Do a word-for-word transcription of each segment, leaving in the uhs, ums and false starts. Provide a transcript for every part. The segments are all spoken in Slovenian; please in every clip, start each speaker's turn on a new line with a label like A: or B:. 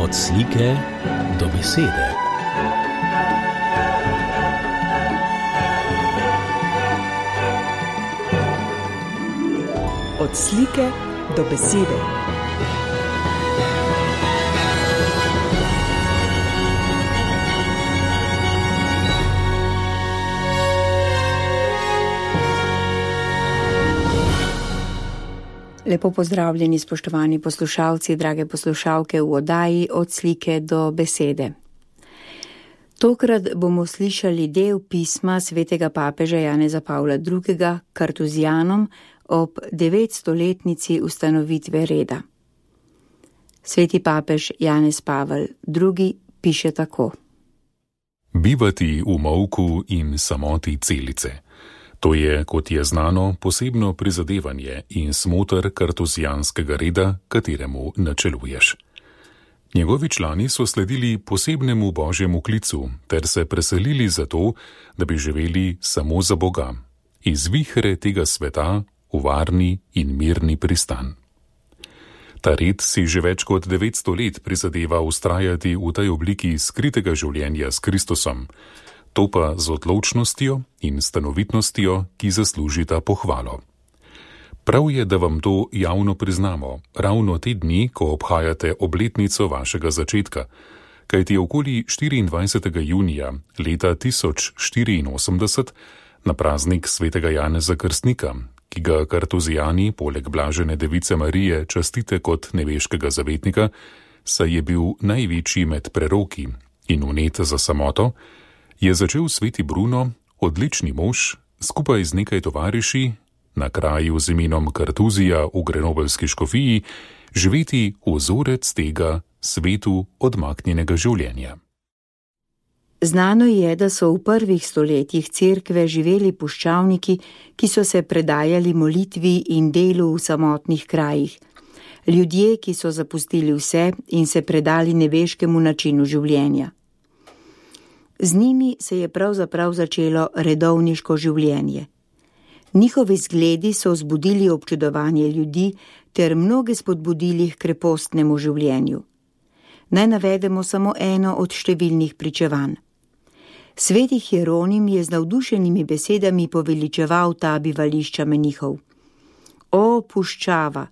A: Od slike do besede.
B: Od slike do besede. Lepo pozdravljeni, spoštovani poslušalci, drage poslušalke v oddaji Od slike do besede. Tokrat bomo slišali del pisma svetega papeža Janeza Pavla drugega. Kartuzijanom ob devetstoletnici ustanovitve reda. Sveti papež Janez Pavel drugi. piše tako.
C: Bivati v molku in samoti celice. To je, kot je znano, posebno prizadevanje in smoter kartuzijanskega reda, kateremu načeluješ. Njegovi člani so sledili posebnemu božjemu klicu ter se preselili zato, da bi živeli samo za Boga, iz vihre tega sveta v varni in mirni pristan. Ta red si že več kot devetsto let prizadeva ustrajati v tej obliki skritega življenja s Kristusom, to pa z odločnostjo in stanovitnostjo, ki zaslužita pohvalo. Prav je, da vam to javno priznamo, ravno te dni, ko obhajate obletnico vašega začetka, kajti okoli štiriindvajsetega junija leta tisoč štiriinosemdeset na praznik svetega Janeza Krstnika, ki ga kartuzijani poleg blažene device Marije častite kot nebeškega zavetnika, saj je bil največji med preroki in vnet za samoto, je začel sveti Bruno, odlični mož, skupaj z nekaj tovariši, na kraju z imenom Kartuzija v Grenobelski škofiji, živeti vzorec tega svetu odmaknjenega življenja.
B: Znano je, da so v prvih stoletjih cerkve živeli puščavniki, ki so se predajali molitvi in delu v samotnih krajih. Ljudje, ki so zapustili vse in se predali nebeškemu načinu življenja. Z njimi se je pravzaprav začelo redovniško življenje. Njihovi zgledi so vzbudili občudovanje ljudi ter mnoge spodbudili k krepostnemu življenju. Naj navedemo samo eno od številnih pričevanj. Sveti Hieronim je z navdušenimi besedami poveličeval ta bivališča menihov. O, puščava,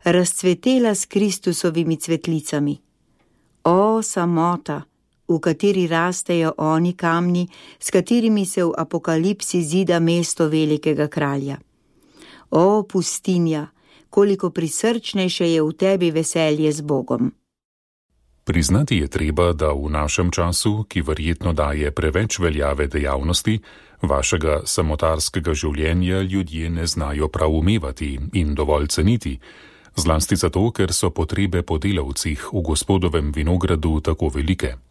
B: razcvetela s Kristusovimi cvetlicami! O, samota, v kateri rastejo oni kamni, s katerimi se v apokalipsi zida mesto velikega kralja. O, pustinja, koliko prisrčnejše je v tebi veselje z Bogom.
C: Priznati je treba, da v našem času, ki verjetno daje preveč veljave dejavnosti, vašega samotarskega življenja ljudje ne znajo prav umevati in dovolj ceniti, zlasti zato, ker so potrebe po delavcih v Gospodovem vinogradu tako velike.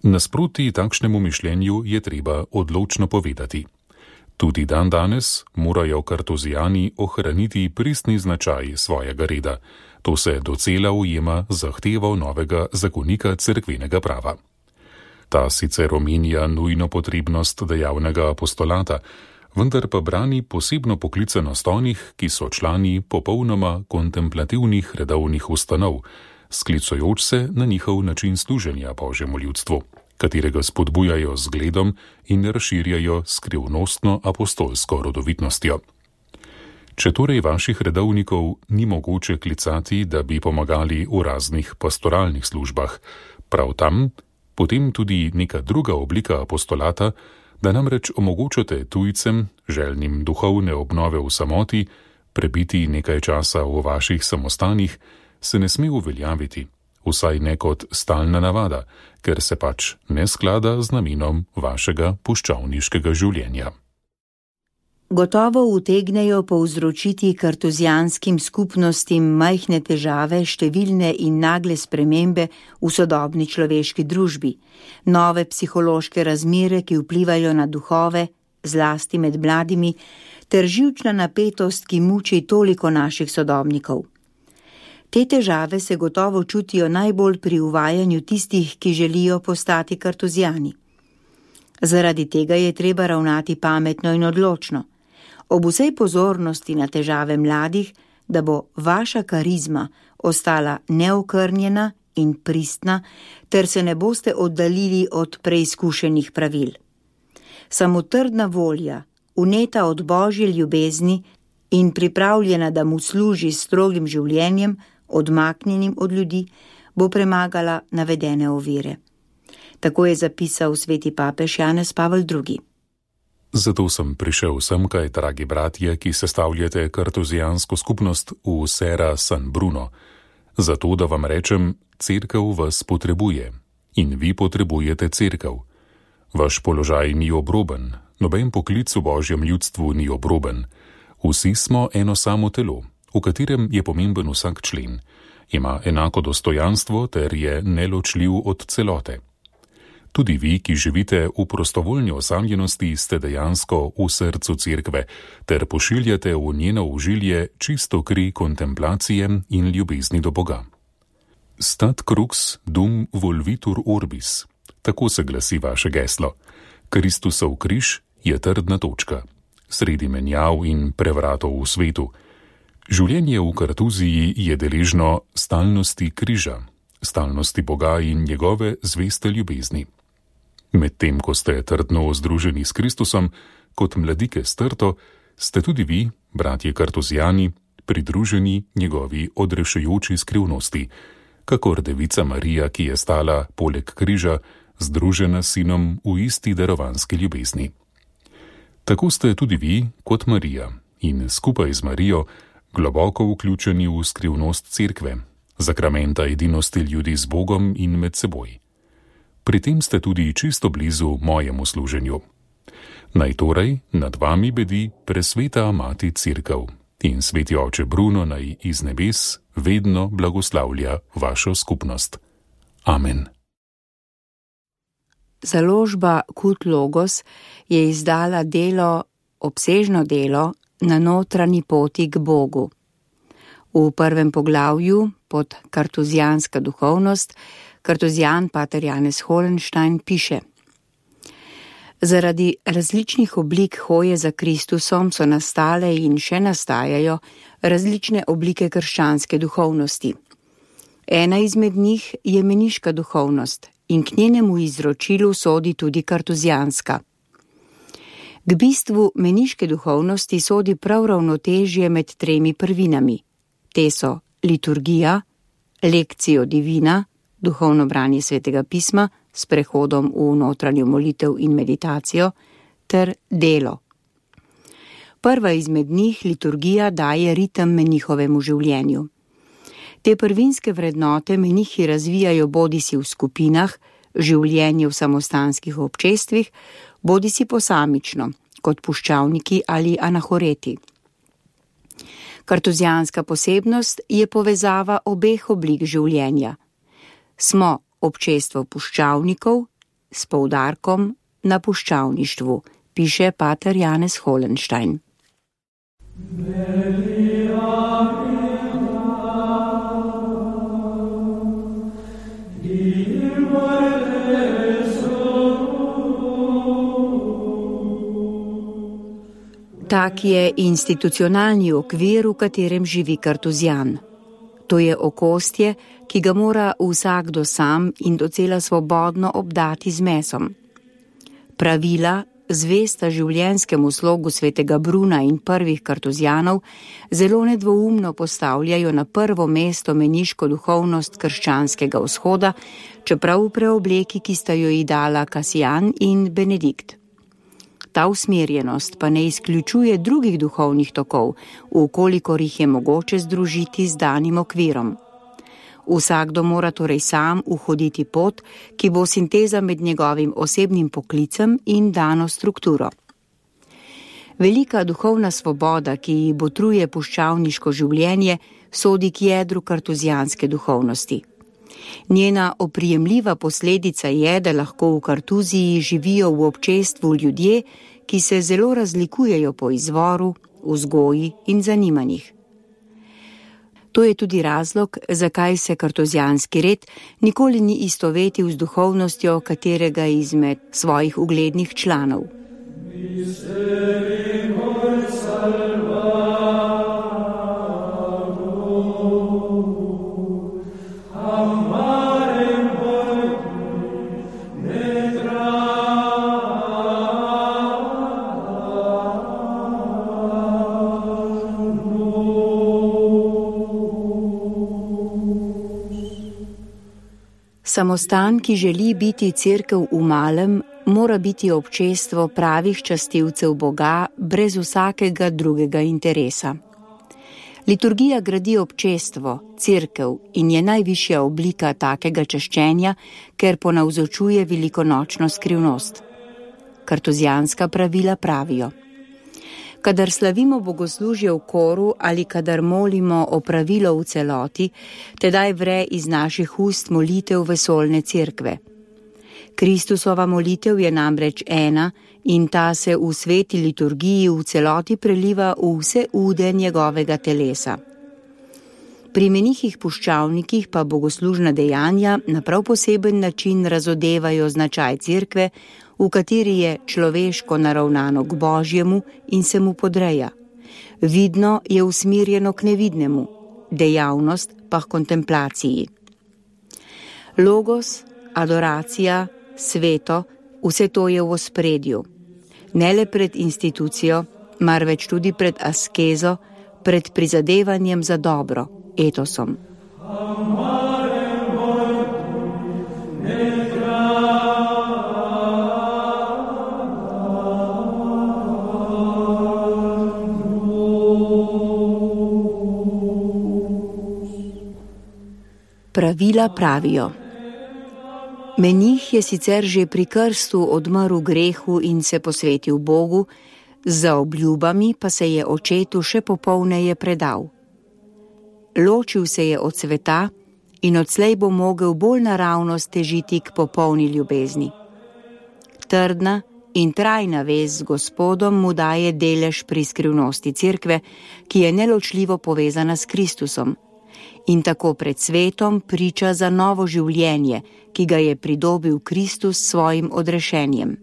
C: Nasproti takšnemu mišljenju je treba odločno povedati. Tudi dan danes morajo kartuzijani ohraniti pristni značaj svojega reda. To se docela ujema zahtevo novega zakonika cerkvenega prava. Ta sicer omenja nujno potrebnost dejavnega apostolata, vendar pa brani posebno poklicanost onih, ki so člani popolnoma kontemplativnih redovnih ustanov, sklicujoč se na njihov način služenja Božjemu ljudstvu, katerega spodbujajo z zgledom in razširjajo skrivnostno apostolsko rodovitnostjo. Če torej vaših redovnikov ni mogoče klicati, da bi pomagali v raznih pastoralnih službah, prav tam, potem tudi neka druga oblika apostolata, da namreč omogočate tujcem, željnim duhovne obnove v samoti, prebiti nekaj časa v vaših samostanih, se ne sme uveljaviti, vsaj ne kot stalna navada, ker se pač ne sklada z namenom vašega puščavniškega življenja.
B: Gotovo utegnejo povzročiti kartuzijanskim skupnostim majhne težave, številne in nagle spremembe v sodobni človeški družbi, nove psihološke razmere, ki vplivajo na duhove, zlasti med mladimi, ter živčna napetost, ki muči toliko naših sodobnikov. Te težave se gotovo čutijo najbolj pri uvajanju tistih, ki želijo postati kartuzijani. Zaradi tega je treba ravnati pametno in odločno. Ob vsej pozornosti na težave mladih, da bo vaša karizma ostala neokrnjena in pristna, ter se ne boste oddaljili od preizkušenih pravil. Samo trdna volja, uneta od Božje ljubezni in pripravljena, da mu služi s strogim življenjem, odmaknjenim od ljudi, bo premagala navedene ovire. Tako je zapisal sveti papež Janez Pavel drugi.
C: Zato sem prišel semkaj, dragi bratje, ki sestavljate kartuzijansko skupnost v Serra San Bruno, zato da vam rečem, cerkev vas potrebuje in vi potrebujete cerkev. Vaš položaj ni obroben, noben poklic v Božjem ljudstvu ni obroben. Vsi smo eno samo telo, v katerem je pomemben vsak člen, ima enako dostojanstvo ter je neločljiv od celote. Tudi vi, ki živite v prostovoljni osamljenosti, ste dejansko v srcu cerkve ter pošiljate v njeno užilje čisto kri kontemplacije in ljubezni do Boga. Stat crux dum volvitur orbis, tako se glasi vaše geslo. Kristusov križ je trdna točka, sredi menjav in prevratov v svetu. Življenje v Kartuziji je deležno stalnosti križa, stalnosti Boga in njegove zveste ljubezni. Medtem, ko ste trdno združeni s Kristusom, kot mladike s trto, ste tudi vi, bratje Kartuzijani, pridruženi njegovi odrešujoči skrivnosti, kakor devica Marija, ki je stala poleg križa, združena s sinom v isti darovanski ljubezni. Tako ste tudi vi, kot Marija, in skupaj z Marijo, globoko vključeni v skrivnost cerkve, zakramenta edinosti ljudi z Bogom in med seboj. Pri tem ste tudi čisto blizu mojemu služenju. Naj torej nad vami bedi presveta mati cerkev in sveti oče Bruno naj iz nebes vedno blagoslavlja vašo skupnost. Amen.
B: Založba Kult Logos je izdala delo, obsežno delo na notranji poti k Bogu. V prvem poglavju pod Kartuzijanska duhovnost Kartuzijan pater Janez Holenstein piše: Zaradi različnih oblik hoje za Kristusom so nastale in še nastajajo različne oblike krščanske duhovnosti. Ena izmed njih je meniška duhovnost in k njenemu izročilu sodi tudi kartuzijanska. K bistvu meniške duhovnosti sodi prav ravnotežje med tremi prvinami. Te so liturgija, lekcijo divina, duhovno branje svetega pisma s prehodom v notranjo molitev in meditacijo, ter delo. Prva izmed njih, liturgija, daje ritem menihovemu življenju. Te prvinske vrednote menihi razvijajo bodisi v skupinah, življenje v samostanskih občestvih, bodisi posamično, kot puščavniki ali anahoreti. Kartuzijanska posebnost je povezava obeh oblik življenja. Smo občestvo puščavnikov s poudarkom na puščavništvu, piše pater Janez Holenstein. Tak je institucionalni okvir, v katerem živi Kartuzijan. To je okostje, ki ga mora vsakdo sam in docela svobodno obdati z mesom. Pravila, zvesta življenjskemu slogu svetega Bruna in prvih kartuzijanov, zelo nedvoumno postavljajo na prvo mesto meniško duhovnost krščanskega vzhoda, čeprav v preobleki, ki sta jo ji dala Kasijan in Benedikt. Ta usmerjenost pa ne izključuje drugih duhovnih tokov, ukolikor jih je mogoče združiti z danim okvirom. Vsakdo mora torej sam uhoditi pot, ki bo sinteza med njegovim osebnim poklicem in dano strukturo. Velika duhovna svoboda, ki ji botruje puščavniško življenje, sodi k jedru kartuzijanske duhovnosti. Njena oprijemljiva posledica je, da lahko v Kartuziji živijo v občestvu ljudje, ki se zelo razlikujejo po izvoru, vzgoji in zanimanjih. To je tudi razlog, zakaj se kartuzijanski red nikoli ni istovetil z duhovnostjo katerega izmed svojih uglednih članov. Amen. Samostan, ki želi biti cerkev v malem, mora biti občestvo pravih častilcev Boga brez vsakega drugega interesa. Liturgija gradi občestvo, cerkev in je najvišja oblika takega čaščenja, ker ponavzočuje velikonočno skrivnost. Kartuzijanska pravila pravijo: kadar slavimo bogoslužje v koru ali kadar molimo o pravilo v celoti, tedaj vre iz naših ust molitev vesoljne cerkve. Kristusova molitev je namreč ena in ta se v sveti liturgiji v celoti preliva v vse ude njegovega telesa. Pri menihih puščavnikih pa bogoslužna dejanja na prav poseben način razodevajo značaj cerkve, v kateri je človeško naravnano k Božjemu in se mu podreja. Vidno je usmerjeno k nevidnemu, dejavnost pa k kontemplaciji. Logos, adoracija, sveto, vse to je v ospredju. Ne le pred institucijo, marveč tudi pred askezo, pred prizadevanjem za dobro, etosom. Pravila pravijo: menih je sicer že pri krstu odmrl grehu in se posvetil Bogu, za obljubami pa se je očetu še popolneje predal. Ločil se je od sveta in odslej bo mogel bolj naravno stežiti k popolni ljubezni. Trdna in trajna vez z Gospodom mu daje delež pri skrivnosti cerkve, ki je neločljivo povezana s Kristusom, in tako pred svetom priča za novo življenje, ki ga je pridobil Kristus s svojim odrešenjem.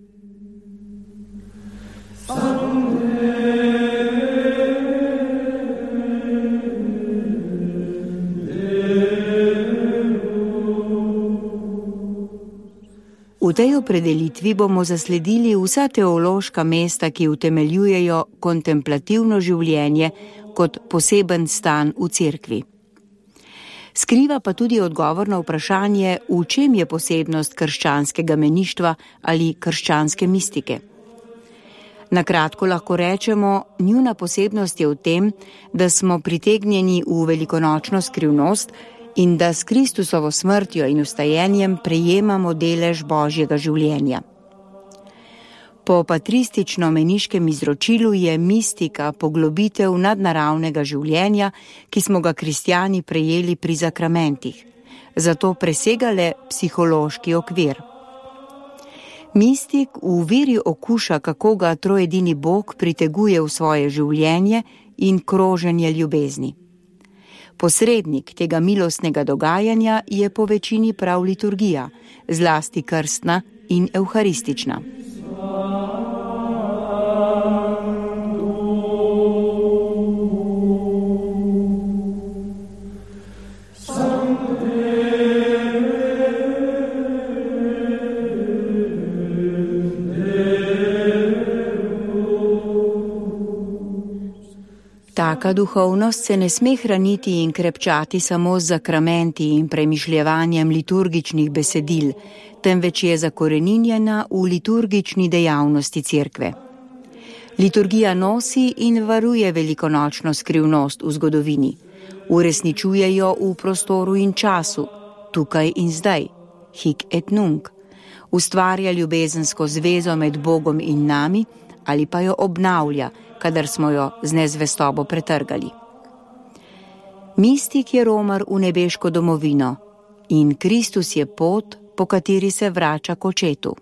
B: V tej opredelitvi bomo zasledili vsa teološka mesta, ki utemeljujejo kontemplativno življenje kot poseben stan v cerkvi. Skriva pa tudi odgovor na vprašanje, v čem je posebnost krščanskega meništva ali krščanske mistike. Na kratko lahko rečemo, njuna posebnost je v tem, da smo pritegnjeni v velikonočno skrivnost in da s Kristusovo smrtjo in vstajenjem prejemamo delež Božjega življenja. Po patristično-meniškem izročilu je mistika poglobitev nadnaravnega življenja, ki smo ga kristjani prejeli pri zakramentih, zato presega le psihološki okvir. Mistik v veri okuša, kako ga trojedini Bog priteguje v svoje življenje in kroženje ljubezni. Posrednik tega milostnega dogajanja je po večini prav liturgija, zlasti krstna in evharistična. Taka duhovnost se ne sme hraniti in krepčati samo z zakramenti in premišljevanjem liturgičnih besedil, temveč je zakoreninjena v liturgični dejavnosti cerkve. Liturgija nosi in varuje velikonočno skrivnost v zgodovini, uresničuje jo v prostoru in času, tukaj in zdaj, hic et nunc, ustvarja ljubezensko zvezo med Bogom in nami ali pa jo obnavlja, kadar smo jo z nezvestobo pretrgali. Mistik je romar v nebeško domovino in Kristus je pot, po kateri se vrača k očetu.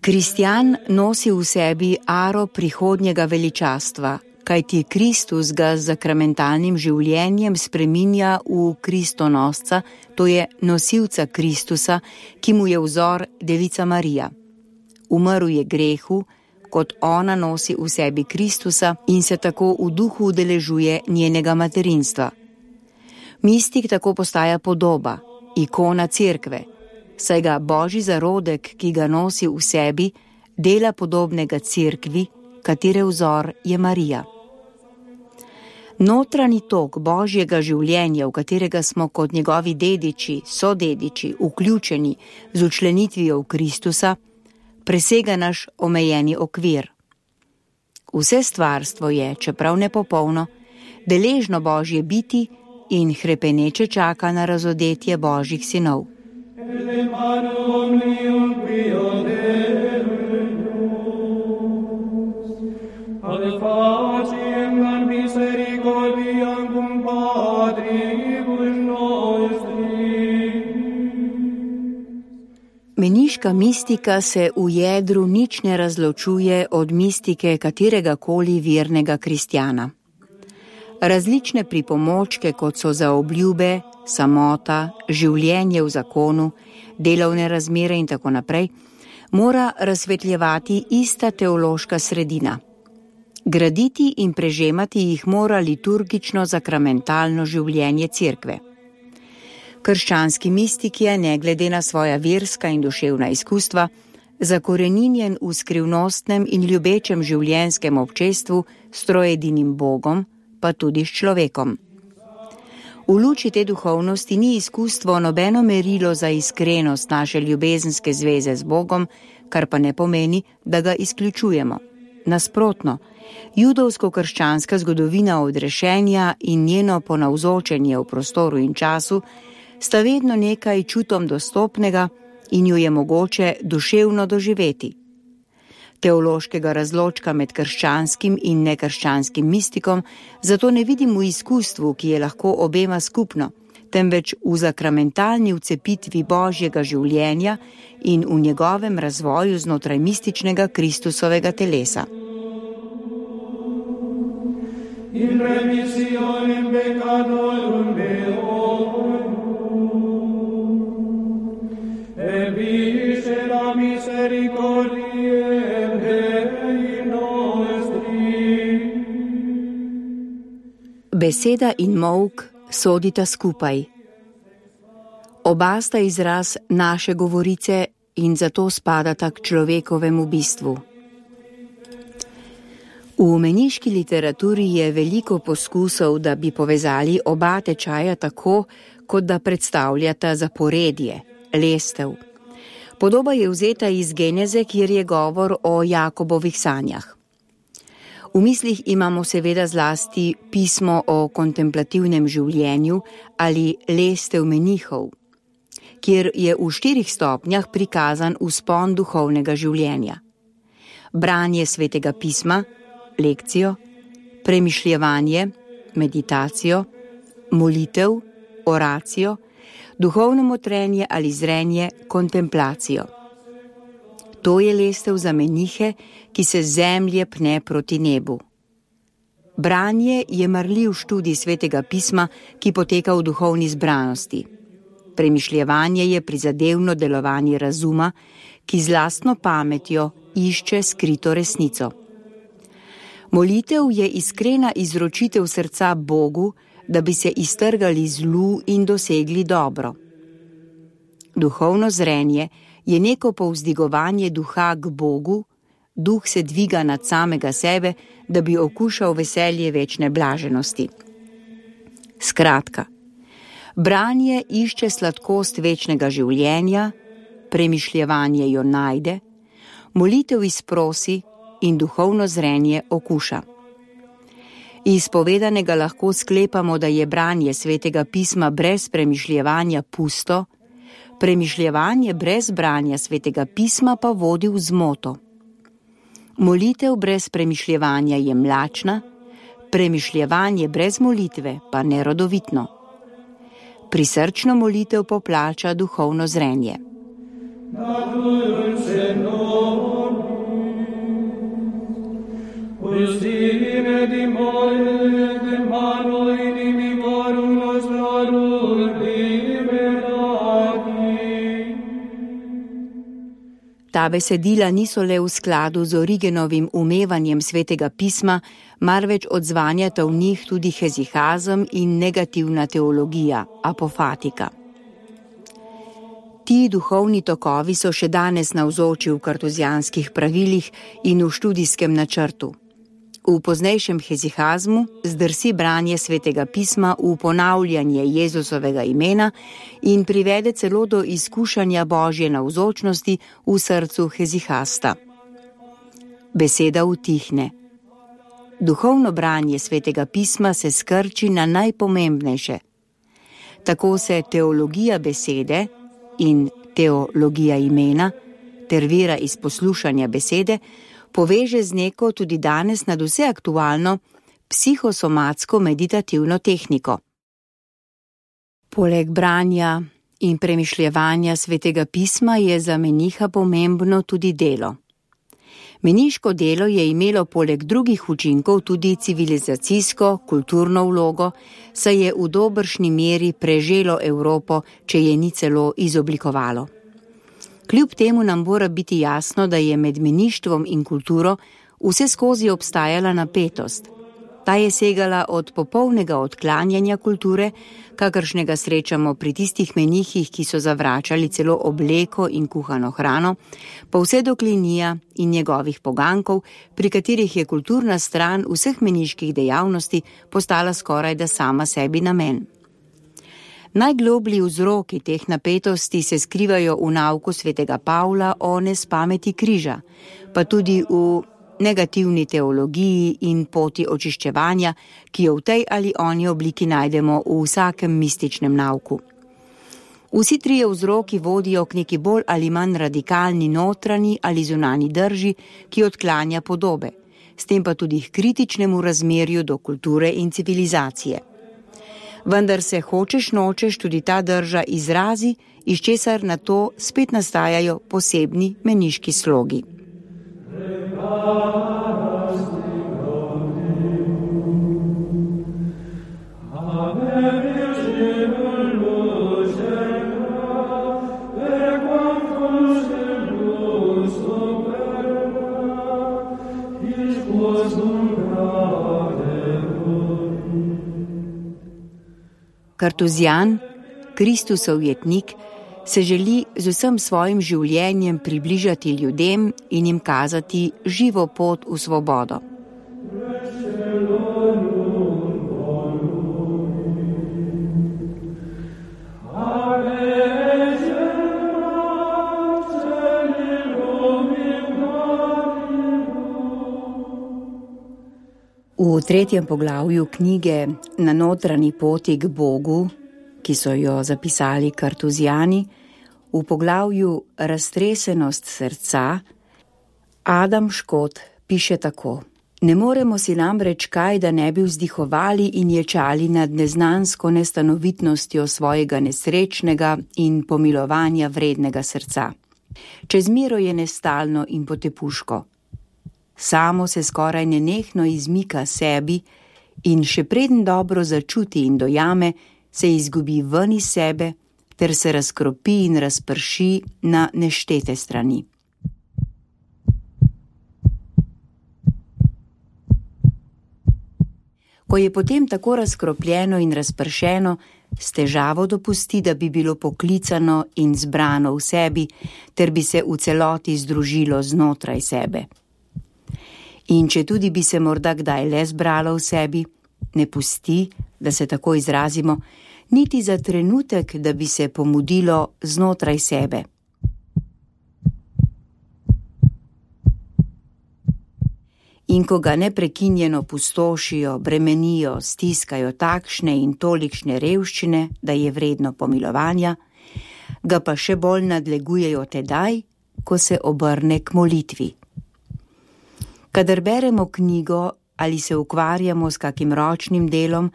B: Kristjan nosi v sebi aro prihodnjega veličastva, kajti Kristus ga z zakramentalnim življenjem spreminja v Kristonosca, to je nosilca Kristusa, ki mu je vzor Devica Marija. Umrl je grehu, kot ona nosi v sebi Kristusa in se tako v duhu udeležuje njenega materinstva. Mistik tako postaja podoba, ikona cerkve, saj ga Božji zarodek, ki ga nosi v sebi, dela podobnega cerkvi, katere vzor je Marija. Notranji tok Božjega življenja, v katerega smo kot njegovi dediči, sodediči, vključeni z učlenitvijo v Kristusa, presega naš omejeni okvir. Vse stvarstvo je, čeprav nepopolno, deležno Božje biti in hrepeneče čaka na razodetje Božjih sinov. Meniška mistika se v jedru nič ne razločuje od mistike katerega koli vernega kristjana. Različne pripomočke, kot so zaobljube, samota, življenje v zakonu, delovne razmere in tako naprej, mora razsvetljevati ista teološka sredina. Graditi in prežemati jih mora liturgično zakramentalno življenje cerkve. Krščanski mistik je, ne glede na svoja verska in duševna izkustva, zakoreninjen v skrivnostnem in ljubečem življenjskem občestvu s troedinim Bogom, pa tudi s človekom. V luči te duhovnosti ni izkustvo nobeno merilo za iskrenost naše ljubezenske zveze z Bogom, kar pa ne pomeni, da ga izključujemo. Nasprotno, judovsko-krščanska zgodovina odrešenja in njeno ponavzočenje v prostoru in času sta vedno nekaj čutom dostopnega in jo je mogoče duševno doživeti. Teološkega razločka med krščanskim in nekrščanskim mistikom zato ne vidim v izkustvu, ki je lahko obema skupno, temveč v zakramentalni vcepitvi Božjega življenja in v njegovem razvoju znotraj mističnega Kristusovega telesa. In remissionem peccatorum meorum, e viscera misericordiae Dei nostri. Beseda in molk sodita skupaj. Oba sta izraz naše govorice in zato spadata k človekovemu bistvu. V meniški literaturi je veliko poskusov, da bi povezali oba tečaja tako, kot da predstavljata zaporedje, lestev. Podoba je vzeta iz Geneze, kjer je govor o Jakobovih sanjah. V mislih imamo seveda zlasti pismo o kontemplativnem življenju ali lestev menihov, kjer je v štirih stopnjah prikazan vzpon duhovnega življenja. Branje svetega pisma, lekcijo, premišljevanje, meditacijo, molitev, oracijo, duhovno motrenje ali zrenje, kontemplacijo. To je lestev za menihe, ki se z zemlje pne proti nebu. Branje je marljiv študij svetega pisma, ki poteka v duhovni zbranosti. Premišljevanje je prizadevno delovanje razuma, ki z lastno pametjo išče skrito resnico. Molitev je iskrena izročitev srca Bogu, da bi se iztrgali zlu in dosegli dobro. Duhovno zrenje je neko povzdigovanje duha k Bogu, duh se dviga nad samega sebe, da bi okušal veselje večne blaženosti. Skratka, branje išče sladkost večnega življenja, premišljevanje jo najde, molitev izprosi in duhovno zrenje okuša. Iz povedanega lahko sklepamo, da je branje svetega pisma brez premišljevanja pusto, premišljevanje brez branja svetega pisma pa vodi v zmoto. Molitev brez premišljevanja je mlačna, premišljevanje brez molitve pa nerodovitno. Prisrčno molitev poplača duhovno zrenje. ta besedila niso le v skladu z Origenovim umevanjem svetega pisma, marveč odzvanjata v njih tudi hezihazem in negativna teologija, apofatika. Ti duhovni tokovi so še danes navzoči v kartuzijanskih pravilih in v študijskem načrtu. V poznejšem hezihazmu zdrsi branje svetega pisma v ponavljanje Jezusovega imena in privede celo do izkušanja Božje navzočnosti v srcu hezihasta. Beseda utihne. Duhovno branje svetega pisma se skrči na najpomembnejše. Tako se teologija besede in teologija imena ter vera iz poslušanja besede poveže z neko tudi danes nadvse aktualno psihosomatsko meditativno tehniko. Poleg branja in premišljevanja svetega pisma je za meniha pomembno tudi delo. Meniško delo je imelo poleg drugih učinkov tudi civilizacijsko, kulturno vlogo, saj je v dobršni meri preželo Evropo, če je ni celo izoblikovalo. Kljub temu nam mora biti jasno, da je med meništvom in kulturo vse skozi obstajala napetost. Ta je segala od popolnega odklanjanja kulture, kakršnega srečamo pri tistih menihih, ki so zavračali celo obleko in kuhano hrano, pa vse do Klinija in njegovih pogankov, pri katerih je kulturna stran vseh meniških dejavnosti postala skorajda sama sebi namen. Najgloblji vzroki teh napetosti se skrivajo v nauku svetega Pavla o nespameti križa, pa tudi v negativni teologiji in poti očiščevanja, ki jo v tej ali oni obliki najdemo v vsakem mističnem nauku. Vsi trije vzroki vodijo k neki bolj ali manj radikalni notranji ali zunanji drži, ki odklanja podobe, s tem pa tudi k kritičnemu razmerju do kulture in civilizacije. Vendar se hočeš nočeš tudi ta drža izrazi, iz česar na to spet nastajajo posebni meniški slogi. Kartuzijan, Kristusov jetnik, se želi z vsem svojim življenjem približati ljudem in jim kazati živo pot v svobodo. V tretjem poglavju knjige Na notranji poti k Bogu, ki so jo zapisali kartuzijani, v poglavju Raztresenost srca, Adam Škot piše tako: Ne moremo si namreč kaj, da ne bi vzdihovali in ječali nad neznansko nestanovitnostjo svojega nesrečnega in pomilovanja vrednega srca. Čez miro je nestalno in potepuško. Samo se skoraj nenehno izmika sebi in še preden dobro začuti in dojame, se izgubi ven iz sebe ter se razkropi in razprši na neštete strani. Ko je potem tako razkropljeno in razpršeno, s težavo dopusti, da bi bilo poklicano in zbrano v sebi, ter bi se v celoti združilo znotraj sebe. In če tudi bi se morda kdaj le zbralo v sebi, ne pusti, da se tako izrazimo, niti za trenutek, da bi se pomudilo znotraj sebe. In ko ga neprekinjeno pustošijo, bremenijo, stiskajo takšne in tolikšne revščine, da je vredno pomilovanja, ga pa še bolj nadlegujejo tedaj, ko se obrne k molitvi. Kadar beremo knjigo ali se ukvarjamo s kakim ročnim delom,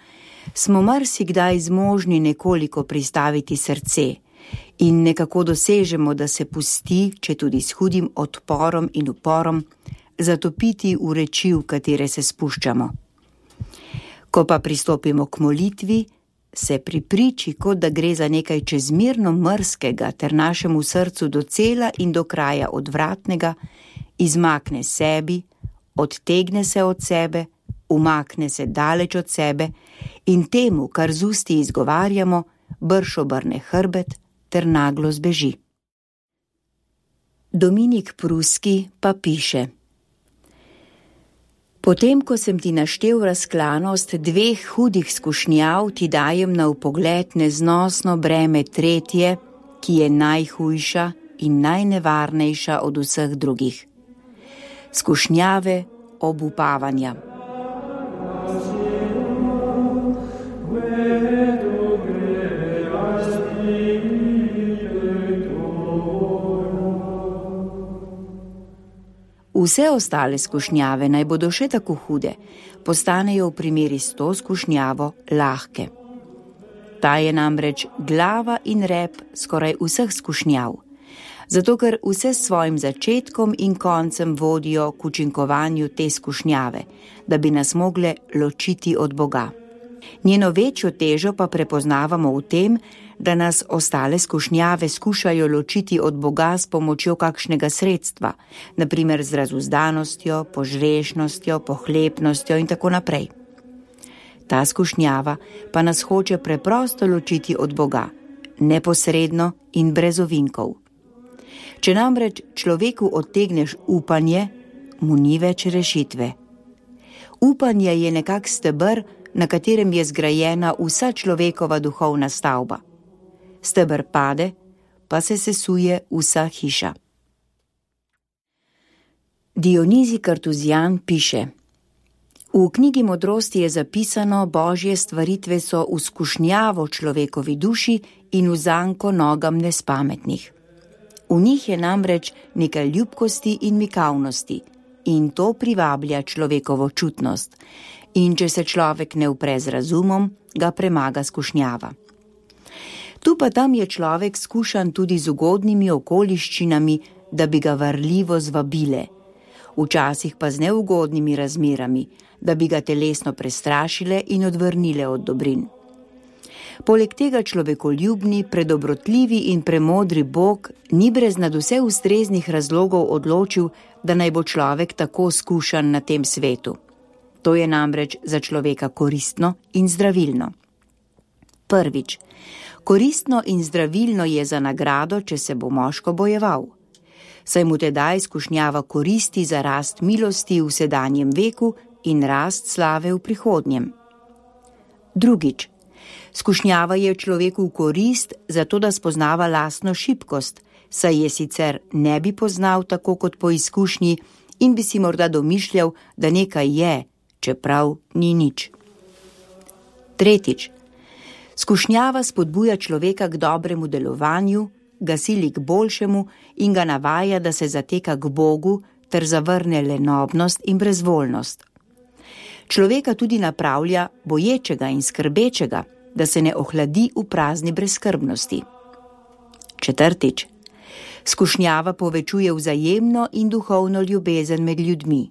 B: smo marsikdaj zmožni nekoliko pristaviti srce in nekako dosežemo, da se pusti, če tudi s hudim odporom in uporom, zatopiti v reči, v katere se spuščamo. Ko pa pristopimo k molitvi, se pri priči, kot da gre za nekaj čezmerno mrzkega ter našemu srcu docela in do kraja odvratnega, izmakne sebi, odtegne se od sebe, umakne se daleč od sebe in temu, kar z usti izgovarjamo, brž obrne hrbet ter naglo zbeži. Dominik Pruski pa piše: Potem, ko sem ti naštel razklanost dveh hudih skušnjav, ti dajem na vpogled neznosno breme tretje, ki je najhujša in najnevarnejša od vseh drugih. Skušnjave obupavanja. Vse ostale skušnjave, naj bodo še tako hude, postanejo v primeri s to skušnjavo lahke. Ta je namreč glava in rep skoraj vseh skušnjav, zato ker vse s svojim začetkom in koncem vodijo k učinkovanju te skušnjave, da bi nas mogle ločiti od Boga. Njeno večjo težo pa prepoznavamo v tem, da nas ostale skušnjave skušajo ločiti od Boga s pomočjo kakšnega sredstva, na primer z razuzdanostjo, požrešnostjo, pohlepnostjo in tako naprej. Ta skušnjava pa nas hoče preprosto ločiti od Boga, neposredno in brez ovinkov. Če namreč človeku odtegneš upanje, mu ni več rešitve. Upanje je nekak steber, na katerem je zgrajena vsa človekova duhovna stavba. Steber pade, pa se sesuje vsa hiša. Dionizij Kartuzijan piše: V knjigi Modrosti je zapisano, Božje stvaritve so v skušnjavo človekovi duši in v zanko nogam nespametnih. V njih je namreč nekaj ljubkosti in mikavnosti in to privablja človekovo čutnost. In če se človek ne upre z razumom, ga premaga skušnjava. Tu pa tam je človek skušan tudi z ugodnimi okoliščinami, da bi ga varljivo zvabile, včasih pa z neugodnimi razmerami, da bi ga telesno prestrašile in odvrnile od dobrin. Poleg tega človekoljubni, predobrotljivi in premodri Bog ni brez nadvse ustreznih razlogov odločil, da naj bo človek tako skušan na tem svetu. To je namreč za človeka koristno in zdravilno. Prvič, koristno in zdravilno je za nagrado, če se bo moško bojeval. Saj mu tedaj skušnjava koristi za rast milosti v sedanjem veku in rast slave v prihodnjem. Drugič, skušnjava je človeku v korist, zato da spoznava lastno šibkost, saj je sicer ne bi poznal tako kot po izkušnji in bi si morda domišljal, da nekaj je, čeprav ni nič. Tretjič, skušnjava spodbuja človeka k dobremu delovanju, ga sili k boljšemu in ga navaja, da se zateka k Bogu ter zavrne lenobnost in brezvoljnost. Človeka tudi napravlja boječega in skrbečega, da se ne ohladi v prazni brezskrbnosti. Četrtič, skušnjava povečuje vzajemno in duhovno ljubezen med ljudmi.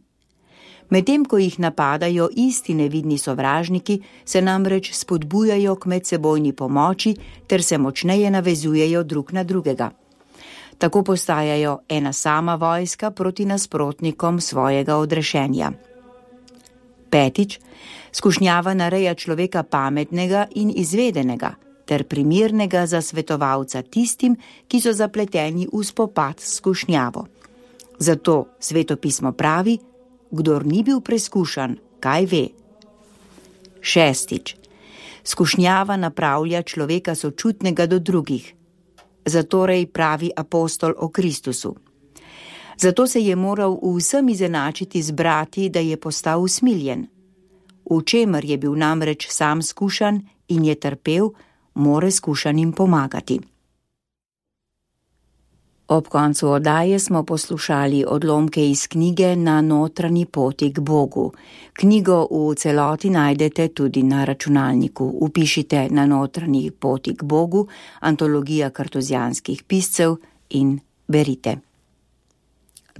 B: Medtem ko jih napadajo isti nevidni sovražniki, se namreč spodbujajo k medsebojni pomoči ter se močneje navezujejo drug na drugega. Tako postajajo ena sama vojska proti nasprotnikom svojega odrešenja. Petič, skušnjava nareja človeka pametnega in izvedenega ter primernega za svetovalca tistim, ki so zapleteni v spopad s skušnjavo. Zato svetopismo pravi: kdor ni bil preskušan, kaj ve? Šestič, skušnjava napravlja človeka sočutnega do drugih. Zatorej pravi apostol o Kristusu. Zato se je moral v vsem izenačiti z brati, da je postal usmiljen. V čemer je bil namreč sam skušan in je trpel, more skušanim pomagati. Ob koncu oddaje smo poslušali odlomke iz knjige Na notranji poti k Bogu. Knjigo v celoti najdete tudi na računalniku. Vpišite Na notranji poti k Bogu, antologija kartuzijanskih piscev in berite.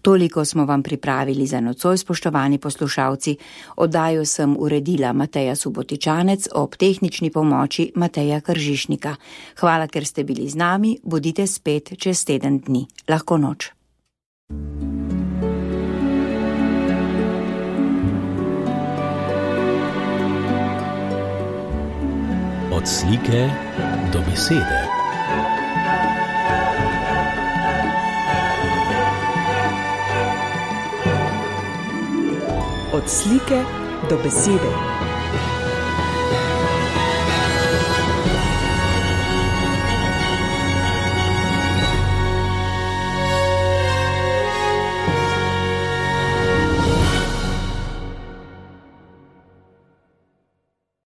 B: Toliko smo vam pripravili za nocoj, spoštovani poslušalci. Oddajo sem uredila Mateja Subotičanec, ob tehnični pomoči Mateja Kržišnika. Hvala, ker ste bili z nami, bodite spet čez teden dni. Lahko noč.
A: Od slike do besede.
D: Od slike do besede.